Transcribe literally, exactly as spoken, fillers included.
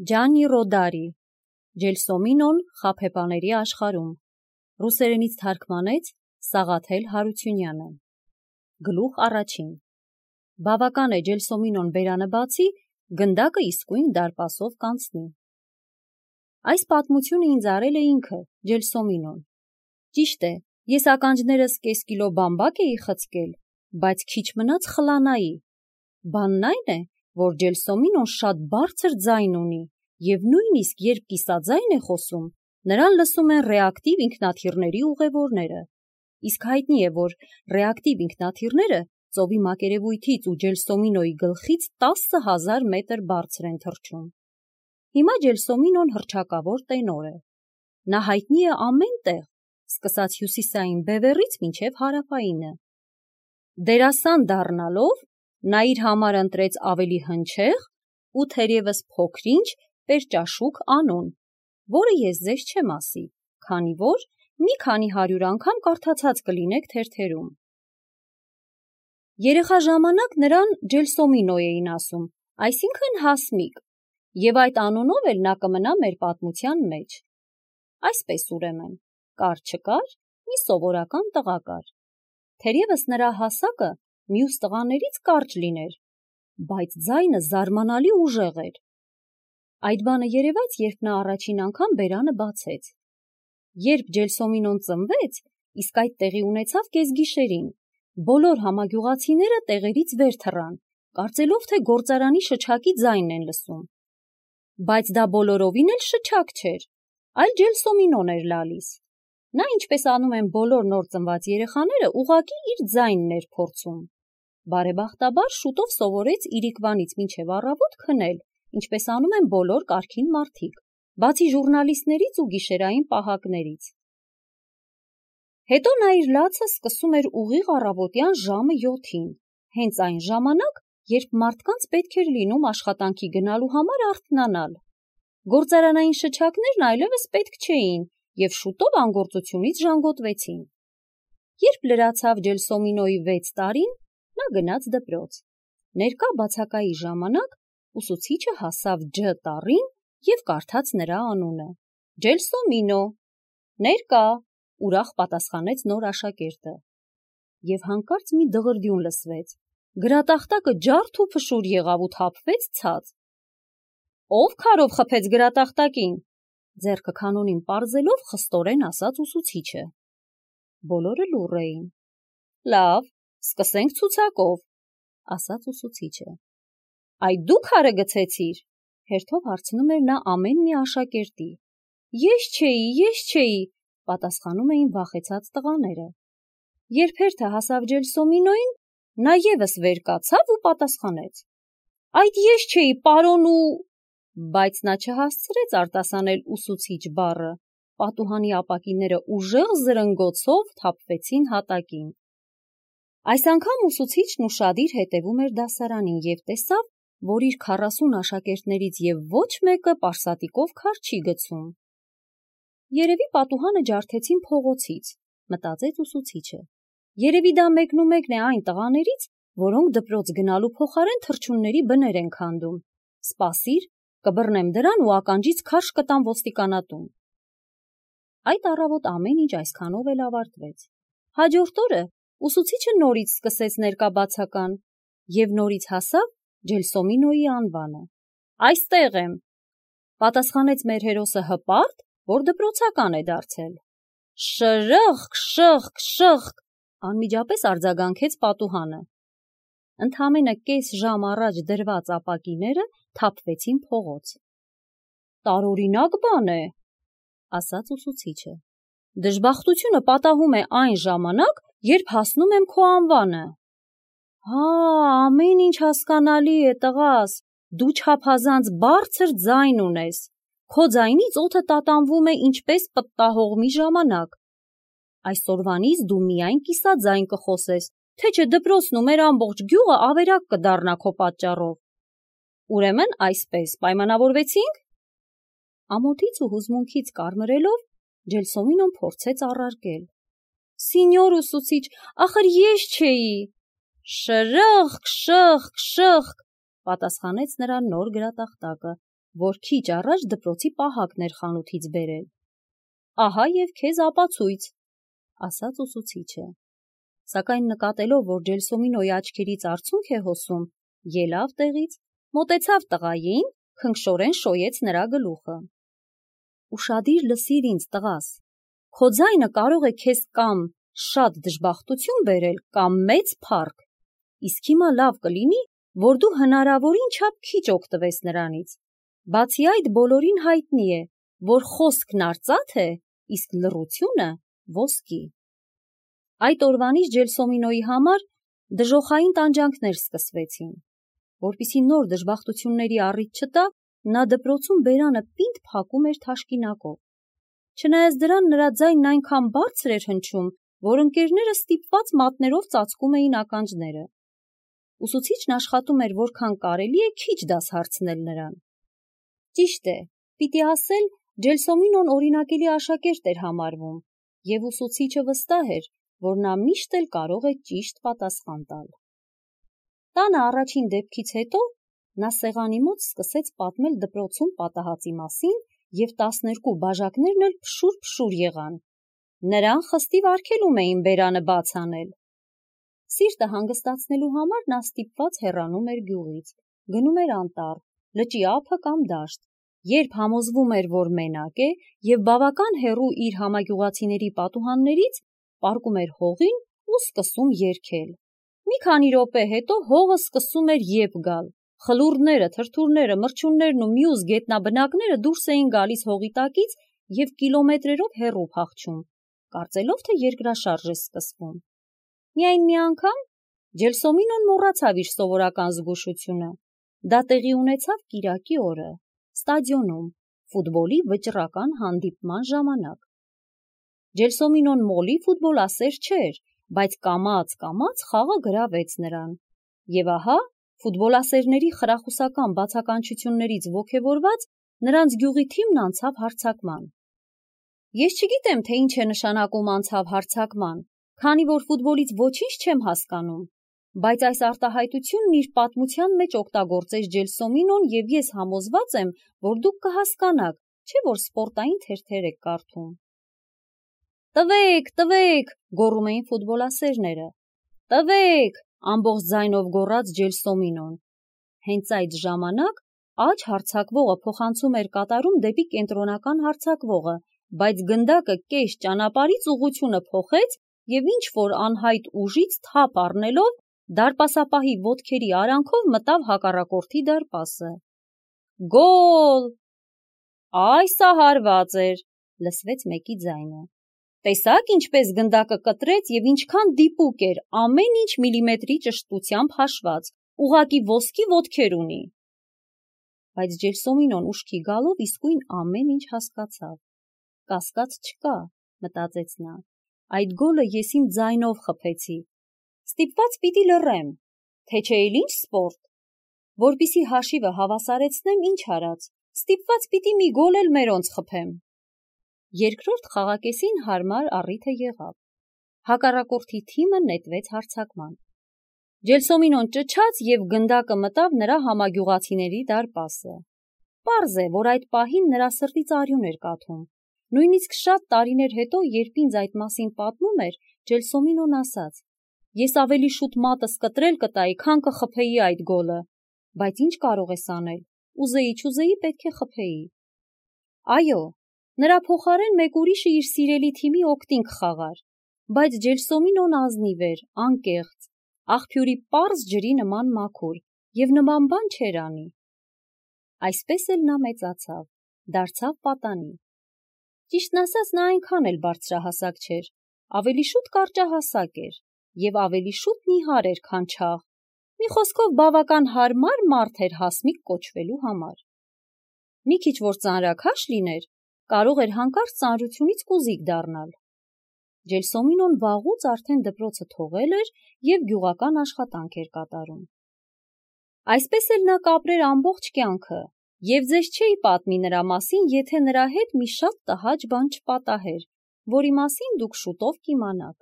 Ջանի Ռոդարի, Ջելսոմինոն խաբեբաների աշխարհում, ռուսերենից թարգմանեց Սաղաթել Հարությունյանը։ Գլուխ առաջին։ Բավական է Ջելսոմինոն բերանը բացի, գնդակը իսկույն դարպասով կանցնի։ Այս պատմությունը ինձ արել է ինքը, Ջելսոմինոն։ Ճիշտ է, ես ականջներս կես կիլո բամբակ էի խցկել, բայց քիչ մնաց խլանայի։ Բանն այն է, որ Ջելսոմինոն շատ բարձր ձայն ունի, և նույնիսկ երբ կիսաձայն է խոսում, նրան լսում են ռեակտիվ ինքնաթիռների ուղևորները։ Իսկ հայտնի է, որ ռեակտիվ ինքնաթիռները ծովի մակերևույթից ու Ջելսոմինոյի գլխից տասը հազար մետր բարձր են թռչում։ Հիմա Ջելսոմինոն հռչակավոր տենոր է։ Նա հայտնի է ամեն տեղ, սկսած հյուսիսային Բևեռից մինչև հարավայինը։ Դերասան դառնալով, նա իր համար ընտրեց ավելի հնչեղ ու թերևս փոքրինչ պերճաշուք անուն, որը ես ձեզ չեմ ասի, քանի որ մի քանի հարյուր անգամ կարդացած կլինեք թերթերում։ Երեխա ժամանակ նրան Ջելսոմինո էին ասում, այսինքն հասմիկ, և այդ անունով էլ նա կմնա մեր պատմության մեջ։ Այսպես ուրեմն, կար-չկար, մի սովորական տղա կար։ Թերևս նրա հասակը մյուս տղաներից կարճ լիներ, բայց ձայնը զարմանալի ուժեղ էր։ Այդ բանը երևաց, երբ նա առաջին անգամ բերանը բացեց։ Երբ Ջելսոմինոն ծնվեց, իսկ այդ տեղի ունեցավ կեսգիշերին, բոլոր համագյուղացիները տեղերից վեր թռան, կարծելով, թե գործարանի շչակի ձայնն են լսում։ Բայց դա բոլորովին էլ շչակ չէր, այլ Ջելսոմինոն էր լալիս։ Նա, ինչպես անում են բոլոր նոր ծնված երեխաները, ուղղակի իր ձայնն էր փորձում։ Բարեբախտաբար շուտով սովորեց իրիկվանից մինչև առավոտ քնել, ինչպես անում են բոլոր կարգին մարդիկ, բացի ժուռնալիստներից ու գիշերային պահակներից։ Հետո նա իր լացը սկսում էր ուղիղ առավոտյան ժամը յոթին, հենց այն ժամանակ, երբ մարդկանց պետք էր լինում աշխատանքի գնալու համար արթնանալ։ Գործարանային շչակներն այլևս պետք չէին և շուտով անգործությունից ժանգոտվեցին։ Երբ լրացավ Ջելսոմինոյի վեց տարին, նա գնաց դպրոց։ Ներկա բացակայի ժամանակ ուսուցիչը հասավ Ջ տառին և կարդաց նրա անունը։ Ջելսոմինո։ Ներկա, ուրախ պատասխանեց նոր աշակերտը։ Եվ հանկարծ մի դղրդյուն լսվեց։ Գրատախտակը ջարդ ու փշուր եղավ ու թափվեց ցած։ Ո՞վ քարով խփեց գրատախտակին, ձեռքը քանոնին պարզելով խստորեն ասաց ուսուցիչը։ Բոլորը լուռ էին։ Լավ, սկսենք ցուցակով, ասաց ուսուցիչը։ Այ դու քարը գցեցիր, հերթով հարցնում էր նա ամեն մի աշակերտի։ Ես չէի, ես չէի, պատասխանում էին վախեցած տղաները։ Երբ հերթը հասավ Ջելսոմինոյին, նա ևս վեր կացավ ու պատասխանեց. Այդ ես չէի, պարոն ու… Բայց նա չհասցրեց արտասանել ուսուցիչ բառը, պատուհանի ապակիները ուժեղ զրնգոցով թափվեցին հատակին։ Այս անգամ ուսուցիչն ուշադիր հետևում էր դասարանին և տեսավ, որ իր քառասուն աշակերտներից և ոչ մեկը պարսատիկով քար չի գցում։ Երևի պատուհանը ջարդեցին փողոցից, մտածեց ուսուցիչը։ Երևի դա մեկնումեկն է այն տղաներից, որոնք դպրոց գնալու փոխարեն թռչունների բներ են քանդում։ Սպասիր, կբռնեմ դրան ու ականջից քարշ կտամ ոստիկանատուն։ Այդ առավոտ ամեն ինչ այսքանով էլ ավարտվեց։ Հաջորդ օրը ուսուցիչը նորից սկսեց ներկա բացական և նորից հասավ Ջելսոմինոյի անվանը։ Այստեղ եմ, պատասխանեց մեր հերոսը հպարտ, որ դպրոցական է դարձել։ Շրըխկ, շըխկ, շըխկ, անմիջապես արձագանքեց պատուհանը։ Ընդամենը կես ժամ առաջ դրված ապակիները թափվեցին փողոց։ Տարօրինակ բան է, ասաց ուսուցիչը։ Դժբախտությունը պատահում է այն ժամանակ, երբ հասնում եմ քո անվանը։ Հա, ամեն ինչ հասկանալի է, տղաս, դու չափազանց բարձր ձայն ունես, քո ձայնից օդը տատանվում է ինչպես պտտահողմի ժամանակ։ Այսօրվանից դու միայն կիսաձայն կխոսես, թե չէ դպրոցն ու մեր ամբողջ գյուղը ավերակ կդառնա քո պատճառով։ Ուրեմն այսպես պայմանավորվեցինք։ Ամոթից ու հուզմունքից կարմրելով, Ջելսոմինոն փորձեց առարկել. Սինյոր ուսուցիչ, ախր ես չէի։ Շրըխկ, շըխկ, շըխկ, պատասխանեց նրա նոր գրատախտակը։ որ քիչ առաջ դպրոցի պահակն էր խանութից բերել։ Ահա և քեզ ապացույց, ասաց ուսուցիչը։ Սակայն նկատելով, որ Ջելսոմինոյի աչքերից արցունք է հոսում, ելավ տեղից, մոտեցավ տղային, քնքշորեն շոյեց նրա գլուխը։ Ուշադիր լսիր ինձ, տղաս, քո ձայնը կարող է քեզ կամ շատ դժբախտություն բերել, կամ մեծ փառք, իսկ հիմա լավ կլինի, որ դու հնարավորին չափ քիչ օգտվես նրանից։ Բացի այդ, բոլորին հայտնի է, որ խոսքն արծաթ է, իսկ լռությունը ոսկի։ Այդ օրվանից Ջելսոմինոյի համար դժոխային տանջանքներ սկսվեցին։ Որպեսզի նոր դժբախտությունների առիթ չտա, նա դպրոցում բերանը պինդ փակում էր թաշկինակով։ Չնայած դրան նրա ձայնն այնքան բարձր էր հնչում, որ ընկերները ստիպված մատներով ծածկում էին ականջները։ Ուսուցիչն աշխատում էր որքան կարելի է քիչ դաս հարցնել նրան։ Ճիշտ է, պիտի ասել, Ջելսոմինոն օրինակելի աշակերտ էր համարվում, և ուսուցիչը վստահ էր, որ նա միշտ էլ կարող է ճիշտ պատասխան տալ։ Տանը առաջին դեպքից հետո նա սեղանի մոտ սկսեց պատմել դպրոցում պատահածի մասին, և տասներկու բաժակներն էլ փշուր-փշուր եղան։ Նրան խստիվ արգելում էին բերանը բաց անել։ Սիրտը հանգստացնելու համար նա ստիպված հեռանում էր գյուղից, գնում էր անտառ, լճի ափը կամ դաշտ, երբ համոզվում էր, որ մենակ է և բավական հեռու իր համագյուղացիների պատուհաններից, պառկում էր հողին ու սկսում երգել։ Մի քանի րոպե հետո հողը սկսում էր եփ գալ, խլուրդները, թրթուրները, մրջյուններն ու մյուս գետնաբնակները դուրս էին գալիս հողի տակից և կիլոմետրերով հեռու փախչում, կարծելով, թե երկրաշարժ է սկսվում։ Միայն մի անգամ Ջելսոմինոն մոռացավ իր սովորական զգուշությունը։ Դա տեղի ունեցավ կիրակի օրը, ստադիոնում, ֆուտբոլի վճռական հանդիպման ժամանակ։ Ջելսոմինոն մոլի ֆուտբոլասեր չէր, բայց կամաց-կամաց խաղը գրավեց նրան։ Եվ ահա, ֆուտբոլասերների խրախուսական բացականչություններից ոգևորված, նրանց գյուղի թիմն անցավ հարձակման։ Ես չգիտեմ, թե ինչ է նշանակում անցավ հարձակման, քանի որ ֆուտբոլից ոչինչ չեմ հասկանում, բայց այս արտահայտությունն իր պատմության մեջ օգտագործեց Ջելսոմինոն և ես համոզված եմ, որ դուք կհասկանաք, չէ՞ որ սպորտային թերթեր եք կարդում։ Տվեք, տվեք, գոռում էին ֆուտբոլասերները։ Տվեք, ամբողջ ձայնով գոռաց Ջելսոմինոն։ Հենց այդ ժամանակ աջ հարձակվողը փոխանցում էր կատարում դեպի կենտրոնական հարձակվողը, բայց գնդակը կես ճանապարհից ուղղությունը փոխեց և ինչ-որ անհայտ ուժից թափ առնելով դարպասապահի ոտքերի արանքով մտավ հակառակորդի դարպասը։ Գոլ։ Այ սա հարված էր, լսվեց մեկի ձայնը։ Տեսա՞ք ինչպես գնդակը կտրեց և ինչքան դիպուկ էր, ամեն ինչ միլիմետրի ճշտությամբ հաշված, ուղղակի ոսկի ոտքեր ունի։ Բայց Ջելսոմինոն ուշքի գալով իսկույն ամեն ինչ հասկացավ։ Կասկած չկա, մտածեց նա, այդ գոլը ես իմ ձայնով խփեցի։ Ստիպված պիտի լռեմ, թե չէ էլ ինչ սպորտ։ Որպեսզի հաշիվը հավասարեցնեմ, ինչ արած, ստիպված պիտի մի գոլ էլ մերոնց խփեմ։ Երկրորդ խաղակեսին հարմար առիթը եղավ։ Հակառակորդի թիմը նետվեց հարձակման։ Ջելսոմինոն ճչաց և գնդակը մտավ նրա համագյուղացիների դարպասը։ Պարզ է, որ այդ պահին նրա սրտից արյուն էր կաթում։ Նույնիսկ շատ տարիներ հետո, երբ ինձ այդ մասին պատմում էր, Ջելսոմինոն ասաց. Ես ավելի շուտ մատս կտրել կտայի, քան կխփեի այդ գոլը, բայց ինչ կարող ես անել, ուզեի չուզեի պետք է խփեի։ Այո, նրա փոխարեն մեկ ուրիշը իր սիրելի թիմի օգտին կխաղար, բայց Ջելսոմինոն ազնիվ էր, անկեղծ, աղբյուրի պարզ ջրի նման մաքուր և նման բան չէր անի։ Այսպես էլ նա մեծացավ, դարձավ պատանի։ Ճիշտն ասած, նա այնքան էլ բարձրահասակ չէր, ավելի շուտ կարճահասակ էր և ավելի շուտ նիհար էր, քան չաղ, մի խոսքով բավական հարմար մարդ էր հասմիկ կոչվելու համար։ Մի քիչ որ ծանրաքաշ լիներ, կարող էր հանկարծ ծանրությունից կուզիկ դառնալ։ Ջելսոմինոն վաղուց արդեն դպրոցը թողել էր և գյուղական աշխատանք էր կատարում։ Այսպես էլ նա կապրեր ամբողջ կյանքը, և ձեզ չէի պատմի նրա մասին, եթե նրա հետ մի շատ տհաճ բան չպատահեր, որի մասին դուք շուտով կիմանաք։